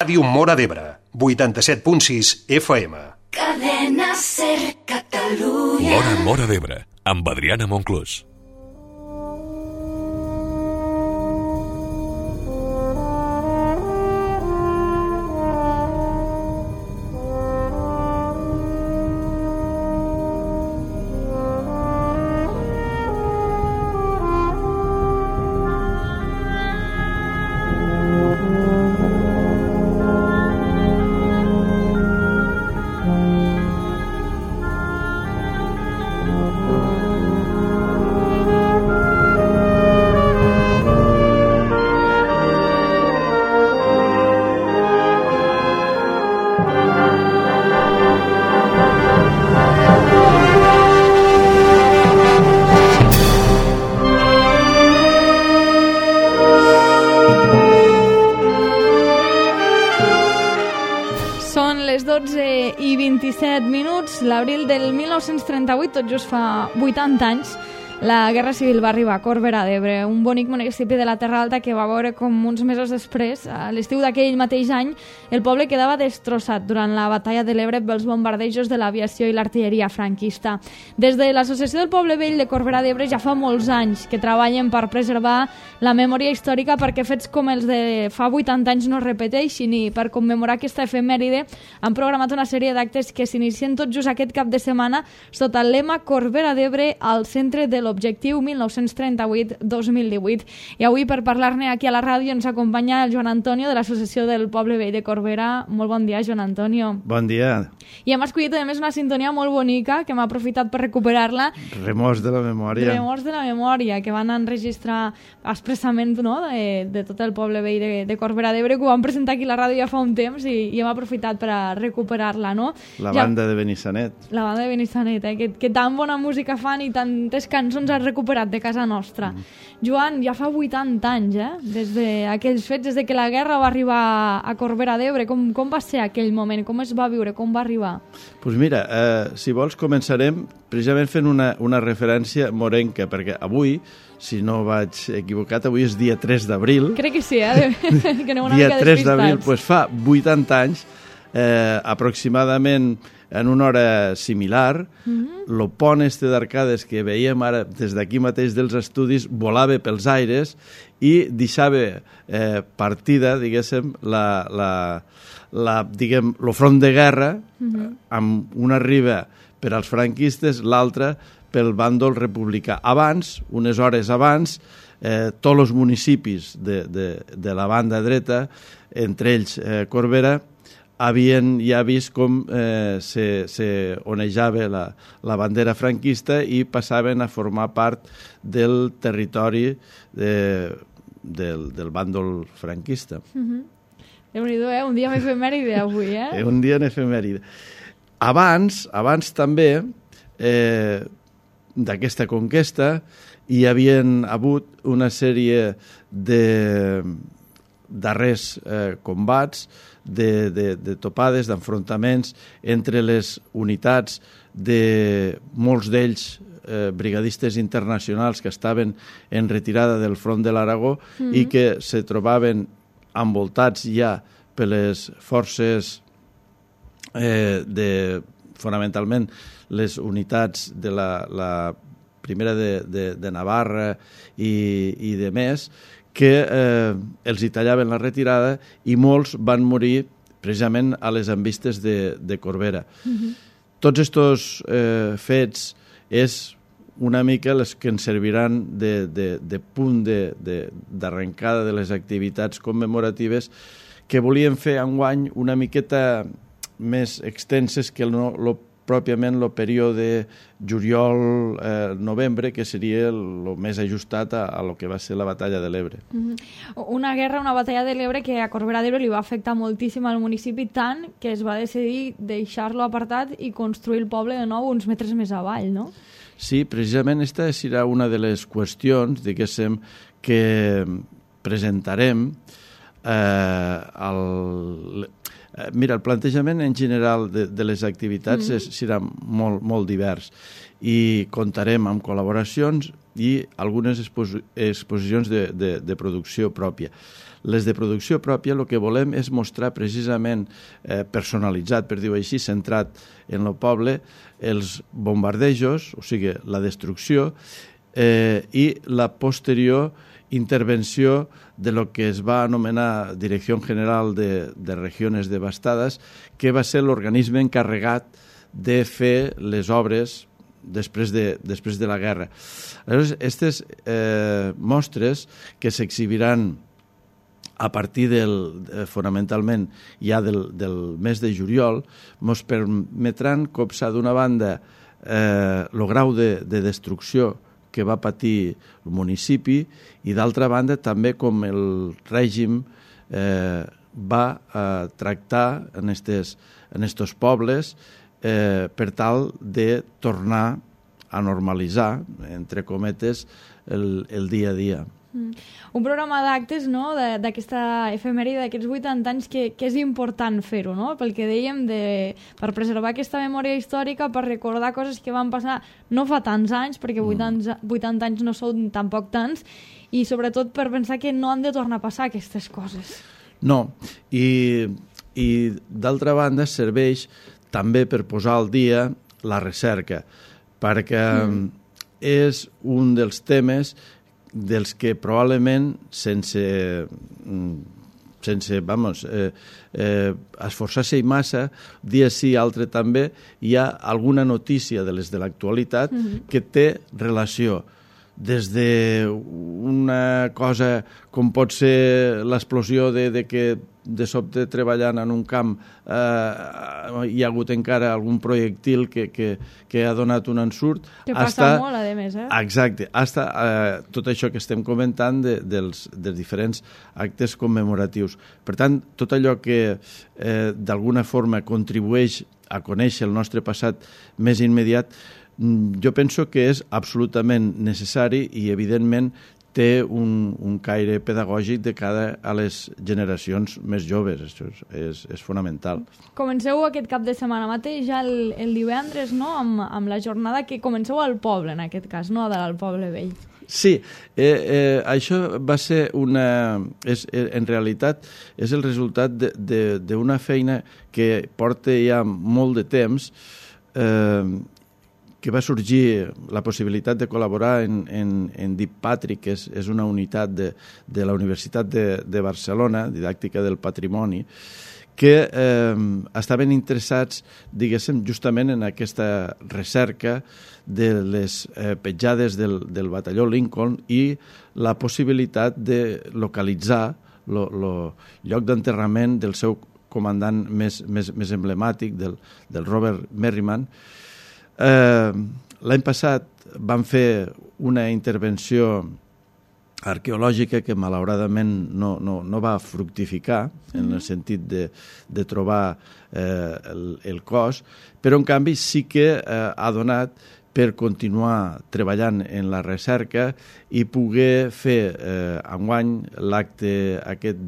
Ràdio Móra d'Ebre, 87.6 FM. Cadena Ser Catalunya. Móra d'Ebre, amb Adriana Monclús. L'abril del 1938, tot just fa 80 anys, la Guerra Civil va arribar a Corbera d'Ebre, un bonic municipi de la Terra Alta que va veure com uns mesos després, a l'estiu d'aquell mateix any, el poble quedava destrossat durant la batalla de l'Ebre pels bombardejos de l'aviació i l'artilleria franquista. Des de l'Associació del Poble Vell de Corbera d'Ebre ja fa molts anys que treballen per preservar la memòria històrica perquè fets com els de fa 80 anys no es repeteixin, i per commemorar aquesta efemèride han programat una sèrie d'actes que s'inicien tot just aquest cap de setmana sota el lema Corbera d'Ebre al centre de l'objectiu 1938-2018. I avui, per parlar-ne aquí a la ràdio, ens acompanya el Joan Antonio de l'Associació del Poble Vell de Corbera. Molt bon dia, Joan Antonio. Bon dia. I hem escollit, a més, una sintonia molt bonica que m'ha aprofitat per recuperar-la. Remors de la memòria. Remors de la memòria, que van enregistrar expressament, no?, de tot el Poble Vell de Corbera d'Ebre, que ho vam presentar aquí a la ràdio ja fa un temps i hem aprofitat per a recuperar-la, no? La banda de Benissanet. La banda de Benissanet, que tan bona música fan i tantes cançons ha recuperat de casa nostra. Joan, ja fa 80 anys, des d'aquells fets, des de que la guerra va arribar a Corbera d'Ebre. Com va ser aquell moment? Com es va viure? Com va arribar? Doncs mira, si vols començarem precisament fent una referència morenca, perquè avui, si no vaig equivocat, avui és dia 3 d'abril. Crec que sí, que aneu una dia mica 3 d'abril, doncs fa 80 anys, aproximadament en una hora similar, el pont d'arcades que veiem ara des d'aquí mateix dels estudis volava pels aires i deixava partida, diguéssim, el front de guerra, amb una riba per als franquistes, l'altra pel bàndol republicà. Abans, unes hores abans, tots els municipis de la banda dreta, entre ells Corbera, havien ja vist com se onejava la bandera franquista i passaven a formar part del territori del bàndol franquista. Déu-n'hi-do, un dia amb efemèride avui, Un dia en efemèride. Abans també d'aquesta conquesta hi havien hagut una sèrie de darrers combats, de topades, d'enfrontaments entre les unitats de molts d'ells brigadistes internacionals que estaven en retirada del front de l'Aragó i que se trobaven envoltats ja per les forces fonamentalment les unitats de la primera de Navarra i de més, que els hi tallaven la retirada i molts van morir precisament a les envistes de Corbera. Tots aquests fets és una mica les que ens serviran de punt d'arrencada de les activitats commemoratives que volíem fer enguany una miqueta més extenses que pròpiament el període juliol-novembre, que seria el més ajustat a lo que va ser la batalla de l'Ebre. Una batalla de l'Ebre que a Corbera d'Ebre li va afectar moltíssim al municipi, tant que es va decidir deixar-lo apartat i construir el poble de nou uns metres més avall, no? Sí, precisament aquesta serà una de les qüestions, diguéssim, que presentarem Mira, el plantejament en general de les activitats serà molt divers i comptarem amb col·laboracions i algunes exposicions de producció pròpia. Les de producció pròpia el que volem és mostrar precisament personalitzat, per dir-ho així, centrat en el poble, els bombardejos, o sigui, la destrucció, i la posterior intervenció de lo que es va anomenar Direcció General de Regiones Devastades, que va ser l'organisme encarregat de fer les obres després de la guerra. Aleshores, aquestes mostres que s'exhibiran a partir fonamentalment ja del mes de juliol, ens permetran copsar d'una banda el grau de destrucció que va patir el municipi i d'altra banda també com el règim va tractar en estos pobles per tal de tornar a normalitzar, entre cometes, el dia a dia. Un programa d'actes, no?, d'aquesta efemèride d'aquests 80 anys que és important fer-ho, no?, pel que dèiem, per preservar aquesta memòria històrica, per recordar coses que van passar no fa tants anys, perquè 80 anys no són tampoc tants, i sobretot per pensar que no han de tornar a passar aquestes coses. No, i d'altra banda serveix també per posar al dia la recerca, perquè és un dels temes dels que probablement sense esforçar-se massa, dia sí, altre també, hi ha alguna notícia de les de l'actualitat que té relació des d'una cosa com pot ser l'explosió de que de sobte treballant en un camp hi ha hagut encara algun projectil que ha donat un ensurt. Que passa molt, a més, Exacte. Tot això que estem comentant dels diferents actes commemoratius. Per tant, tot allò que d'alguna forma contribueix a conèixer el nostre passat més immediat, jo penso que és absolutament necessari i, evidentment, té un caire pedagògic de cara a les generacions més joves. Això és fonamental. Comenceu aquest cap de setmana mateix, ja el divendres, no?, amb la jornada que comenceu al poble, en aquest cas, no?, al poble vell. Sí, això va ser en realitat, és el resultat d'una feina que porta ja molt de temps, que va sorgir la possibilitat de col·laborar en DIPATRI, que és una unitat de la Universitat de Barcelona, didàctica del patrimoni, que estaven interessats, diguéssim, justament en aquesta recerca de les petjades del batalló Lincoln i la possibilitat de localitzar el lloc d'enterrament del seu comandant més emblemàtic, del Robert Merriman. L'any passat van fer una intervenció arqueològica que malauradament no va fructificar en el sentit de trobar el cos, però en canvi sí que ha donat per continuar treballant en la recerca i poder fer enguany l'acte aquest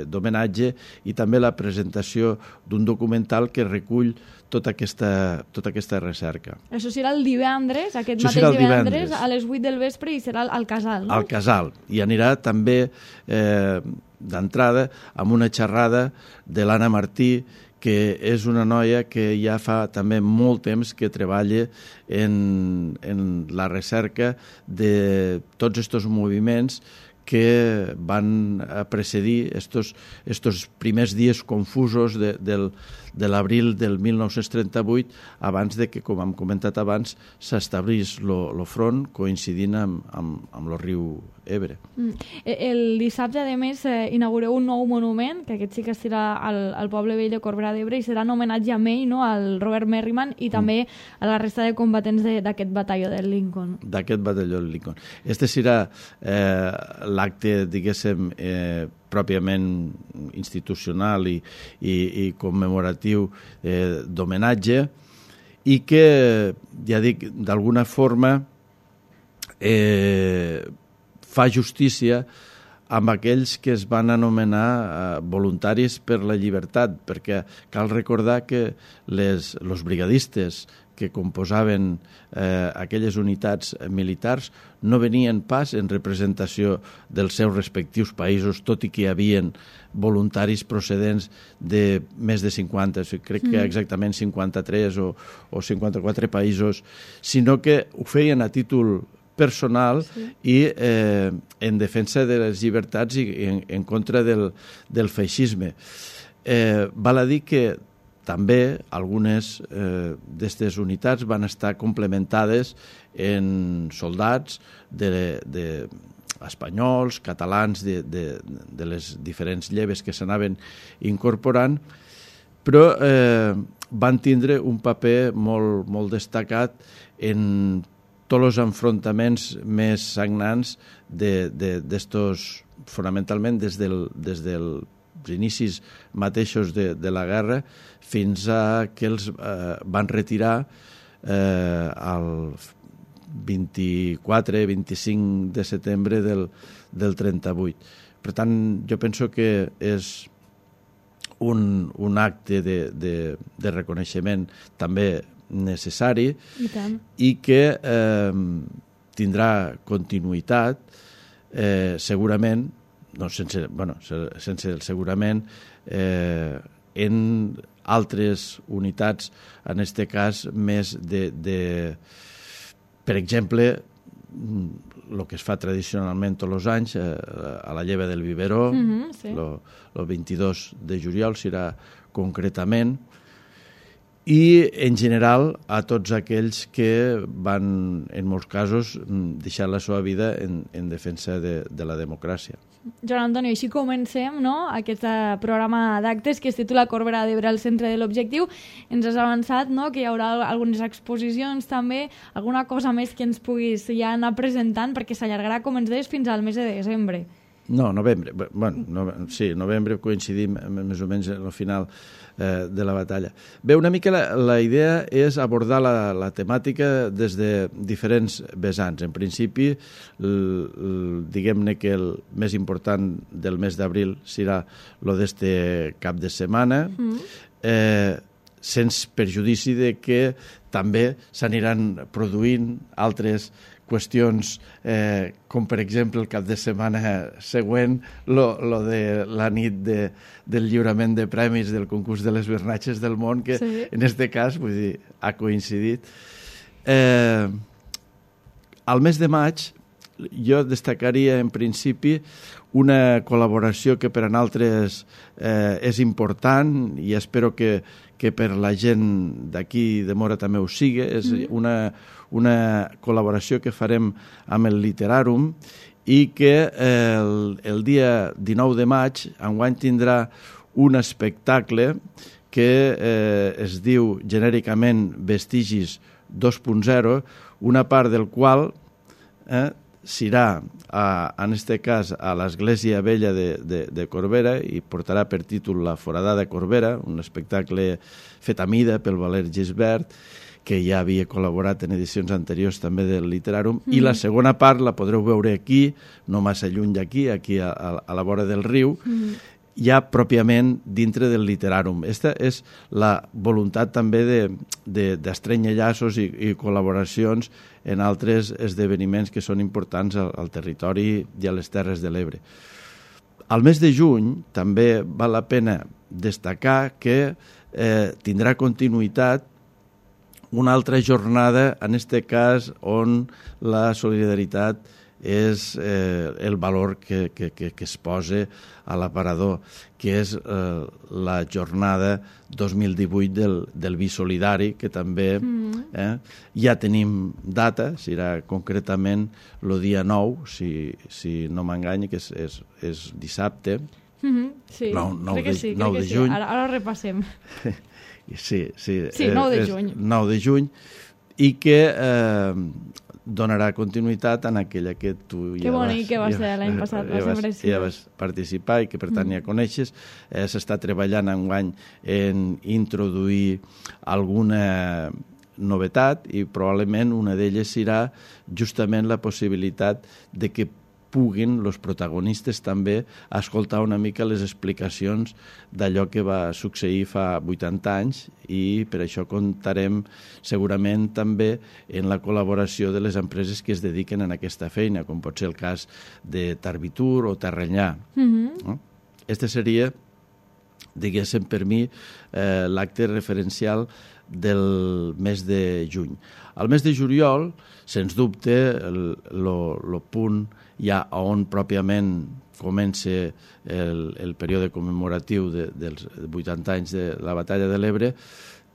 d'homenatge i també la presentació d'un documental que recull tota aquesta recerca. Això serà el divendres, aquest mateix divendres, a les 8 del vespre, i serà al Casal, no? Al Casal. I anirà també d'entrada amb una xerrada de l'Anna Martí, que és una noia que ja fa també molt temps que treballa en la recerca de tots aquests moviments que van precedir estos primers dies confusos de l'abril del 1938, abans de que, com hem comentat abans, s'establís el front coincidint amb el riu Ebre. El dissabte, a més, inaugureu un nou monument, que aquest sí que estarà al poble vell de Corbera d'Ebre, i serà en homenatge a ell, no?, al Robert Merriman, i també a la resta de combatents d'aquest batalló del Lincoln. D'aquest batalló del Lincoln. Este serà l'acte, diguéssim, pròpiament institucional i commemoratiu d'homenatge, i que, ja dic, d'alguna forma fa justícia amb aquells que es van anomenar voluntaris per la llibertat, perquè cal recordar que els brigadistes que composaven aquelles unitats militars no venien pas en representació dels seus respectius països, tot i que hi havia voluntaris procedents de més de 50, crec que exactament 53 o 54 països, sinó que ho feien a títol personal i en defensa de les llibertats i en contra del feixisme. Val a dir que també algunes d'aquestes unitats van estar complementades en soldats espanyols, catalans, de les diferents lleves que s'anaven incorporant, però van tindre un paper molt destacat en tots els enfrontaments més sagnants d'estos, fonamentalment des dels inicis mateixos de la guerra fins a que els van retirar el 24-25 de setembre del 38. Per tant, jo penso que és un acte de reconeixement també necessari i que tindrà continuïtat segurament, sense el segurament, en altres unitats, en aquest cas més per exemple, el que es fa tradicionalment tots els anys a la lleva del Biberó, el 22 de juliol serà concretament, i en general a tots aquells que van, en molts casos, deixar la seva vida en defensa de la democràcia. Joan Antonio, així comencem, no?, aquest programa d'actes que es titula Corbera d'Ebre al centre de l'objectiu. Ens has avançat, no?, que hi haurà algunes exposicions també, alguna cosa més que ens puguis ja anar presentant, perquè s'allargarà, com ens deies, fins al mes de desembre. No, novembre. Sí, novembre coincidim més o menys al final de la batalla. Bé, una mica la idea és abordar la temàtica des de diferents vessants. En principi, diguem-ne que el més important del mes d'abril serà el d'este cap de setmana, sense perjudici de que també s'aniran produint altres qüestions, com per exemple el cap de setmana següent, lo de la nit del lliurament de premis del concurs de les Bernatges del món, que en aquest cas vull dir, ha coincidit. Al mes de maig jo destacaria en principi una col·laboració que per a nosaltres és important i espero que per la gent d'aquí de Móra també ho sigui. És una col·laboració que farem amb el Literàrum i que el dia 19 de maig enguany tindrà un espectacle que es diu genèricament Vestigis 2.0, una part del qual serà, en aquest cas, a l'Església Vella de Corbera i portarà per títol La Forada de Corbera, un espectacle fet a mida pel Valer Gisbert, que ja havia col·laborat en edicions anteriors també del Literàrum, i la segona part la podreu veure aquí, no massa lluny d'aquí, aquí a la vora del riu, ja pròpiament dintre del Literàrum. Aquesta és la voluntat també d'estrènyer llaços i col·laboracions en altres esdeveniments que són importants al territori i a les Terres de l'Ebre. Al mes de juny també val la pena destacar que tindrà continuïtat una altra jornada, en aquest cas, on la solidaritat és el valor que es posa a l'aparador, que és la jornada 2018 del Vi Solidari, que també ja tenim data, serà concretament el dia 9, si no m'engany, que és dissabte, sí, 9 crec que sí, de juny. Ara repassem. Sí, 9 de juny. 9 de juny, i que donarà continuïtat en aquella que tu ja va ser l'any passat, ja vas participar i que per tant ja coneixes. S'està treballant enguany en introduir alguna novetat i probablement una d'elles serà justament la possibilitat de que puguin els protagonistes també escoltar una mica les explicacions d'allò que va succeir fa 80 anys i per això comptarem segurament també en la col·laboració de les empreses que es dediquen a aquesta feina, com pot ser el cas de Tarvitur o Terranyà. No? Este seria, diguéssim per mi, l'acte referencial del mes de juny. Al mes de juliol, sens dubte, el punt ja on pròpiament comença el període commemoratiu dels 80 anys de la Batalla de l'Ebre,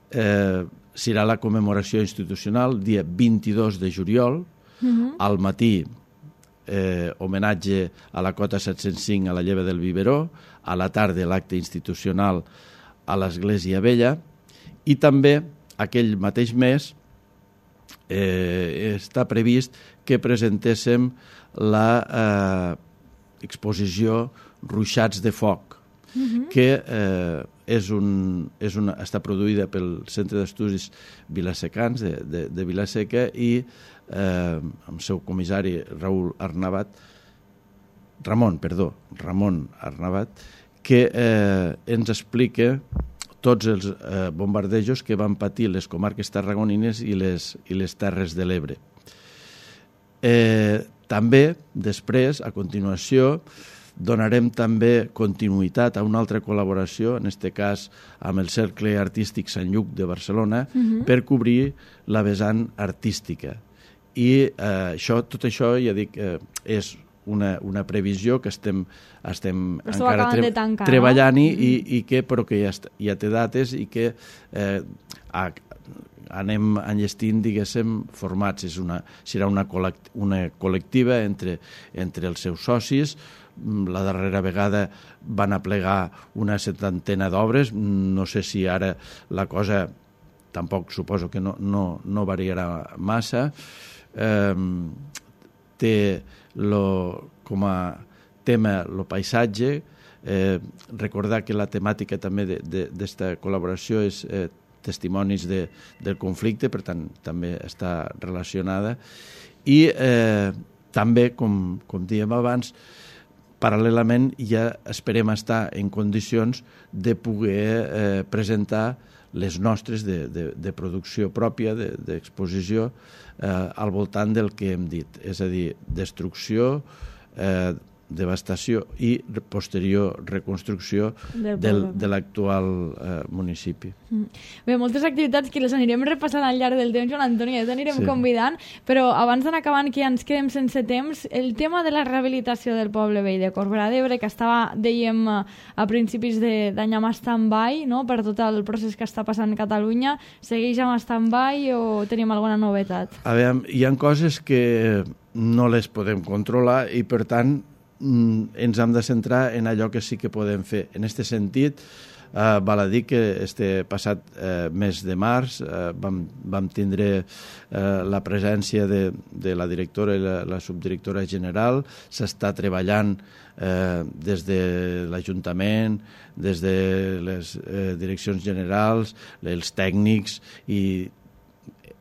serà la commemoració institucional, dia 22 de juliol, al matí homenatge a la cota 705 a la lleva del Biberó, a la tarda l'acte institucional a l'Església Vella, i també aquell mateix mes està previst que presentéssim la exposició Ruixats de Foc, que està produïda pel Centre d'Estudis Vilasecans de Vilaseca i el seu comissari Ramon Arnabat, que ens explica tots els bombardejos que van patir les comarques tarragonines i les Terres de l'Ebre. També, després, a continuació, donarem també continuïtat a una altra col·laboració, en aquest cas amb el Cercle Artístic Sant Lluc de Barcelona, per cobrir la vessant artística. I tot això, ja dic, és una previsió que estem encara treballant-hi, però que ja té dates i que anem enllestint, diguéssim, formats. Serà una col·lectiva entre els seus socis. La darrera vegada van aplegar una 70 d'obres. No sé si ara la cosa tampoc suposo que no variarà massa. Té com a tema el paisatge. Recordar que la temàtica també d'esta col·laboració és testimonis del conflicte, per tant també està relacionada. I també, com dèiem abans, paral·lelament ja esperem estar en condicions de poder presentar les nostres de producció pròpia, d'exposició, al voltant del que hem dit, és a dir, destrucció, devastació i posterior reconstrucció de l'actual municipi. Bé, moltes activitats que les anirem repassant al llarg del temps, Joan Antoni, ja t'anirem convidant, però abans d'anar acabant, que ja ens quedem sense temps, el tema de la rehabilitació del poble vell de Corbera d'Ebre, que estava, dèiem, a principis d'any amb stand-by, no?, per tot el procés que està passant a Catalunya, segueix amb stand-by o tenim alguna novetat? A veure, hi ha coses que no les podem controlar i, per tant, ens hem de centrar en allò que sí que podem fer. En aquest sentit, val a dir que este passat mes de març vam tindre la presència de la directora i la subdirectora general. S'està treballant des de l'Ajuntament, des de les direccions generals, els tècnics, i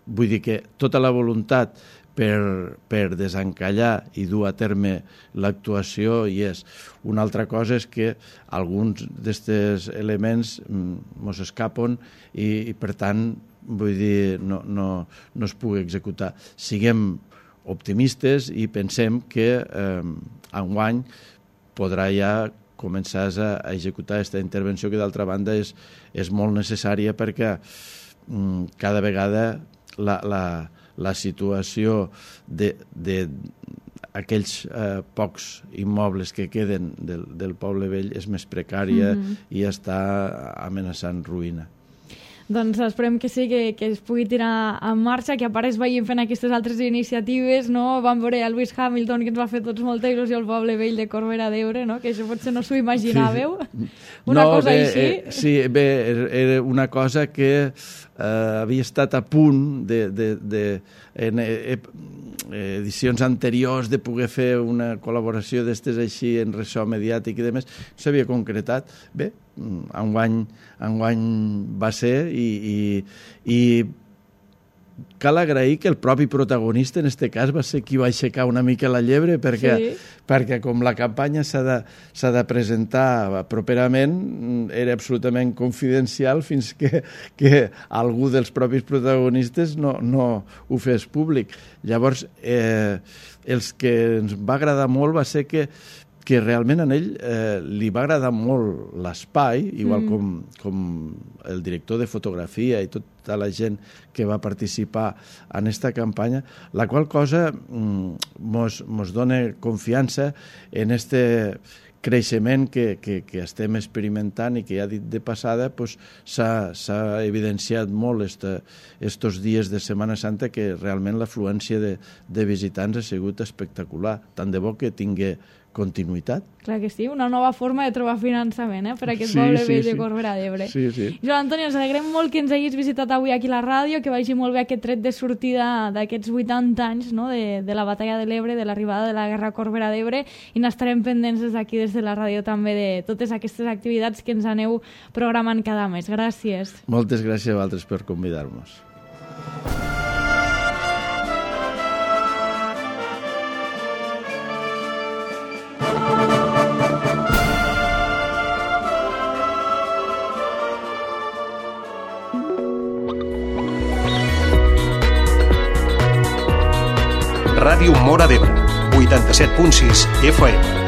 vull dir que tota la voluntat per desencallar i dur a terme l'actuació hi és. Una altra cosa és que alguns d'aquests elements mos escapen i per tant, vull dir, no es pugui executar. Siguem optimistes i pensem que enguany podrà ja començar a executar aquesta intervenció que d'altra banda és molt necessària perquè cada vegada la situació d'aquells pocs immobles que queden del poble vell és més precària i està amenaçant ruïna. Doncs esperem que sí, que es pugui tirar en marxa, que a part es vagin fent aquestes altres iniciatives, no? Vam veure el Lewis Hamilton, que ens va fer tots molta il·lusió al poble vell de Corbera d'Ebre, no? Que això potser no s'ho imaginàveu. Una cosa així. Sí, bé, era una cosa que havia estat a punt en edicions anteriors de poder fer una col·laboració d'estes així en ressò mediàtic i demés. No s'havia concretat. Bé, enguany va ser i cal agrair que el propi protagonista, en aquest cas, va ser qui va aixecar una mica la llebre, perquè com la campanya s'ha de presentar properament, era absolutament confidencial fins que algú dels propis protagonistes no ho fes públic. Llavors, els que ens va agradar molt va ser que realment a ell li va agradar molt l'espai, igual com el director de fotografia i tota la gent que va participar en aquesta campanya, la qual cosa mos dona confiança en este creixement que estem experimentant i que ja dit de passada s'ha evidenciat molt estos dies de Setmana Santa, que realment l'afluència de visitants ha sigut espectacular, tant de bo que tingui continuïtat. Clar que sí, una nova forma de trobar finançament per aquest poble vell de Corbera d'Ebre. Sí. Joan Antoni, ens alegrem molt que ens hagis visitat avui aquí a la ràdio, que vagi molt bé aquest tret de sortida d'aquests 80 anys, no? de la batalla de l'Ebre, de l'arribada de la Guerra Corbera d'Ebre, i n'estarem pendents des d'aquí, des de la ràdio, també de totes aquestes activitats que ens aneu programant cada mes. Gràcies. Moltes gràcies a vosaltres per convidar-nos. Ràdio Móra d'Ebre, 87.6 FM.